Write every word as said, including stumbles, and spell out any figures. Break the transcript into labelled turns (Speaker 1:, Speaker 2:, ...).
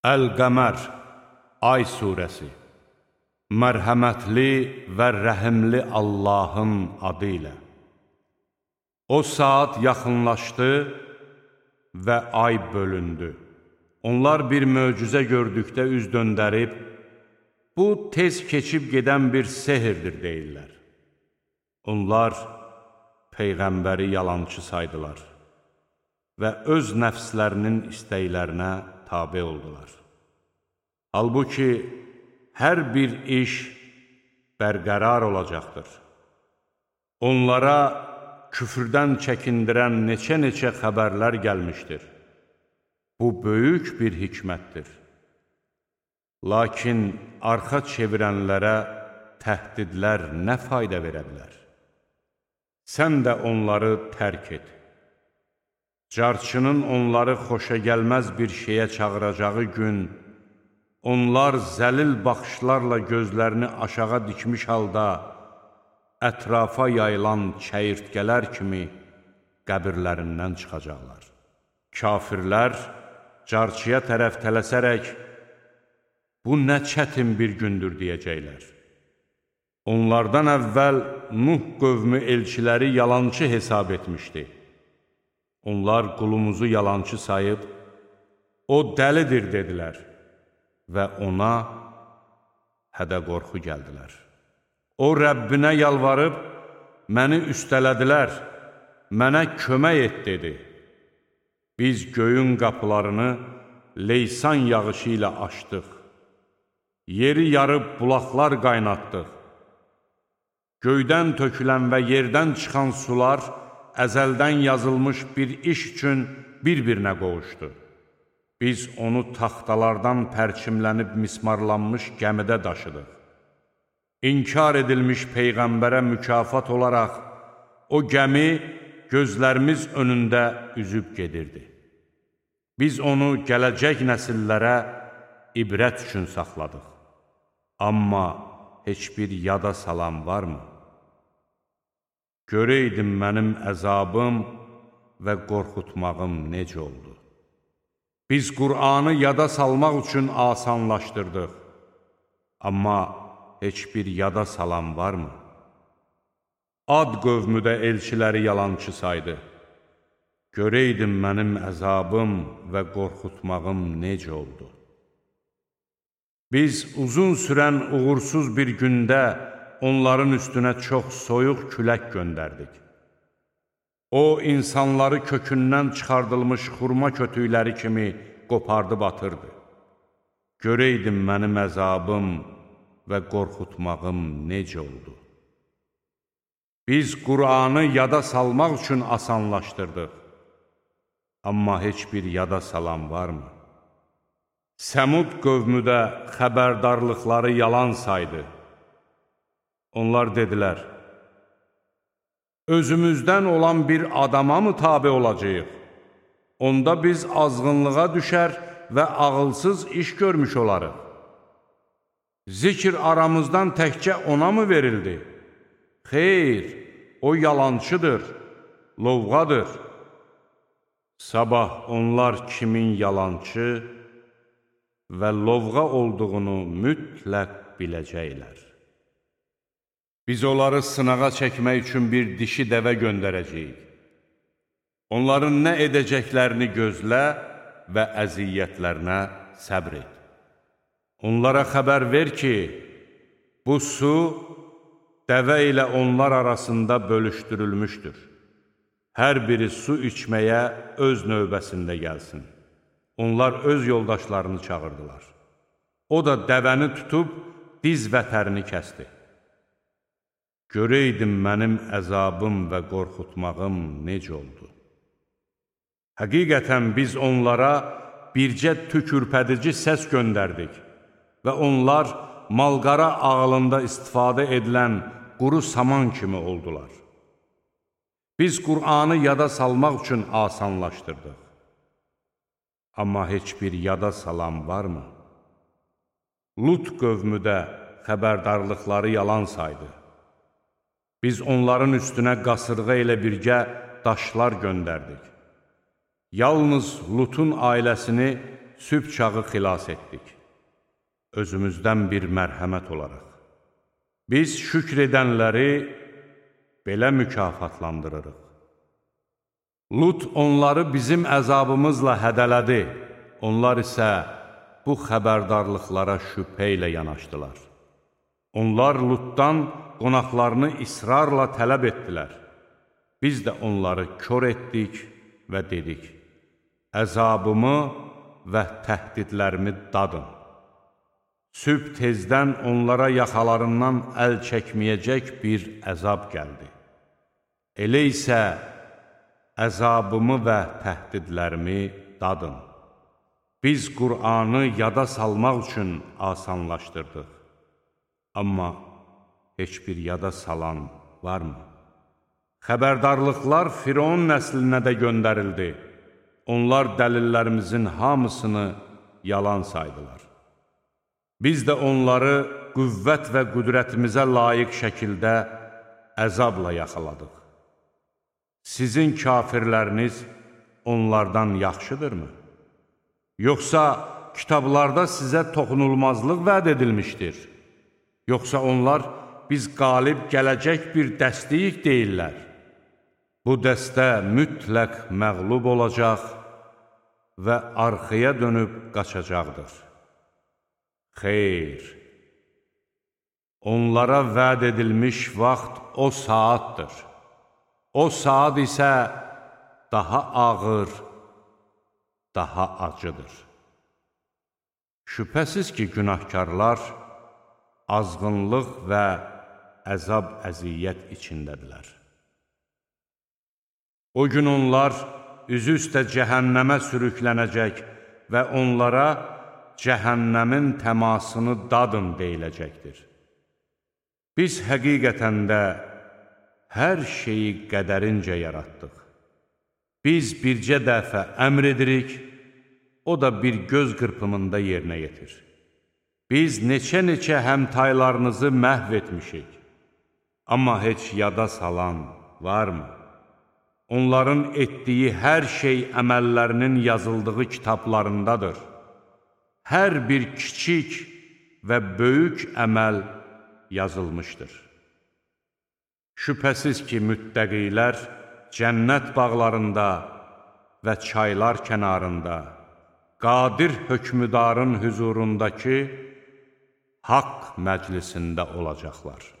Speaker 1: Əl-Qəmər, Ay surəsi. Mərhəmətli və rəhimli Allahın adı ilə. O saat yaxınlaşdı və ay bölündü. Onlar bir möcüzə gördükdə üz döndərib, bu tez keçib gedən bir sehirdir deyirlər. Onlar Peyğəmbəri yalançı saydılar və öz nəfslərinin istəklərinə tabe oldular. Halbuki, hər bir iş bərqərar olacaqdır. Onlara küfrdən çəkindirən neçə-neçə xəbərlər gəlmişdir. Bu, böyük bir hikmətdir. Lakin arxa çevirənlərə təhdidlər nə fayda verə bilər? Sən də onları tərk et. Carçının onları xoşa gəlməz bir şeyə çağıracağı gün, onlar zəlil baxışlarla gözlərini aşağı dikmiş halda, ətrafa yayılan çəyirtkələr kimi qəbirlərindən çıxacaqlar. Kafirlər carçıya tərəf tələsərək, bu nə çətin bir gündür deyəcəklər. Onlardan əvvəl Nuh qövmü elçiləri yalançı hesab etmişdi. Onlar qulumuzu yalançı sayıb, o dəlidir dedilər və ona hədə-qorxu gəldilər. O, Rəbbinə yalvarıb, məni üstələdilər, mənə kömək et dedi. Biz göyün qapılarını leysan yağışı ilə açdıq, yeri yarıb bulaqlar qaynatdıq. Göydən tökülən və yerdən çıxan sular əzəldən yazılmış bir iş üçün bir-birinə qovuşdu. Biz onu taxtalardan pərçimlənib mismarlanmış gəmidə daşıdıq. İnkar edilmiş Peyğəmbərə mükafat olaraq, o gəmi gözlərimiz önündə üzüb gedirdi. Biz onu gələcək nəsillərə ibrət üçün saxladıq. Amma heç bir yada salan varmı? Görəydim mənim əzabım və qorxutmağım necə oldu. Biz Qur'anı yada salmaq üçün asanlaşdırdıq. Amma heç bir yada salan varmı? Ad qövmü də elçiləri yalançı saydı. Görəydim mənim əzabım və qorxutmağım necə oldu. Biz uzun sürən uğursuz bir gündə onların üstünə çox soyuq külək göndərdik. O, insanları kökündən çıxardılmış xurma kötükləri kimi qopardıb atırdı. Görəydim mənim əzabım və qorxutmağım necə oldu. Biz Qur'anı yada salmaq üçün asanlaşdırdıq. Amma heç bir yada salan varmı? Səmud qövmü də xəbərdarlıqları yalan saydı. Onlar dedilər, özümüzdən olan bir adama mı tabe olacağıq? Onda biz azğınlığa düşər və ağılsız iş görmüş olarıq. Zikr aramızdan təkcə ona mı verildi? Xeyr, o yalançıdır, lovğadır. Sabah onlar kimin yalançı və lovğa olduğunu mütləq biləcəklər. Biz onları sınağa çəkmək üçün bir dişi dəvə göndərəcəyik. Onların nə edəcəklərini gözlə və əziyyətlərinə səbr et. Onlara xəbər ver ki, bu su dəvə ilə onlar arasında bölüşdürülmüşdür. Hər biri su içməyə öz növbəsində gəlsin. Onlar öz yoldaşlarını çağırdılar. O da dəvəni tutub diz vətərini kəsdi. Görəydim mənim əzabım və qorxutmağım necə oldu. Həqiqətən biz onlara bircə tükürpədici səs göndərdik və onlar malqara ağlında istifadə edilən quru saman kimi oldular. Biz Qur'anı yada salmaq üçün asanlaşdırdıq. Amma heç bir yada salan varmı? Lut qövmü də xəbərdarlıqları yalan saydı. Biz onların üstünə qasırğa ilə birgə daşlar göndərdik. Yalnız Lutun ailəsini sübh çağı xilas etdik, özümüzdən bir mərhəmət olaraq. Biz şükr edənləri belə mükafatlandırırıq. Lut onları bizim əzabımızla hədələdi, onlar isə bu xəbərdarlıqlara şübhə ilə yanaşdılar. Onlar Lutdan qonaqlarını israrla tələb etdilər. Biz də onları kör etdik və dedik, əzabımı və təhdidlərimi dadın. Sübh tezdən onlara yaxalarından əl çəkməyəcək bir əzab gəldi. Elə isə əzabımı və təhdidlərimi dadın. Biz Qur'anı yada salmaq üçün asanlaşdırdıq. Amma heç bir yada salan varmı? Xəbərdarlıqlar Firon nəslinə də göndərildi. Onlar dəlillərimizin hamısını yalan saydılar. Biz də onları qüvvət və qüdrətimizə layiq şəkildə əzabla yaxaladıq. Sizin kafirləriniz onlardan yaxşıdırmı? Yoxsa kitablarda sizə toxunulmazlıq vəd edilmişdir? Yoxsa onlar biz qalib gələcək bir dəstəyik deyirlər? Bu dəstə mütləq məğlub olacaq və arxaya dönüb qaçacaqdır. Xeyr, onlara vəd edilmiş vaxt o saatdır. O saat isə daha ağır, daha acıdır. Şübhəsiz ki, günahkarlar azğınlıq və əzab-əziyyət içindədirlər. O gün onlar üzü üstə cəhənnəmə sürüklənəcək və onlara cəhənnəmin təmasını dadın deyiləcəkdir. Biz həqiqətən də hər şeyi qədərincə yaratdıq. Biz bircə dəfə əmr edirik, o da bir göz qırpımında yerinə yetir. Biz neçə-neçə həmtaylarınızı məhv etmişik. Amma heç yada salan varmı? Onların etdiyi hər şey əməllərinin yazıldığı kitablarındadır. Hər bir kiçik və böyük əməl yazılmışdır. Şübhəsiz ki, müttəqilər cənnət bağlarında və çaylar kənarında, qadir hökmüdarın hüzurundakı haqq məclisində olacaqlar.